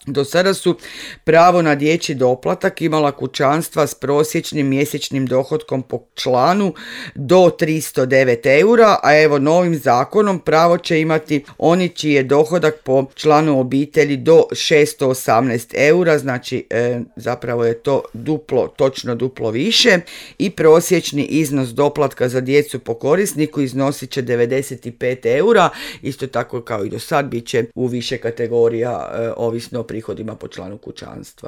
Do sada su pravo na dječji doplatak imala kućanstva s prosječnim mjesečnim dohotkom po članu do 309 eura, a evo novim zakonom pravo će imati oni čiji je dohodak po članu obitelji do 618 eura, znači zapravo je to točno duplo više, i prosječni iznos doplatka za djecu po korisniku iznosit će 95 eura, isto tako kao i do sad bit će u više kategorija ovisno o prihodima po članu kućanstva.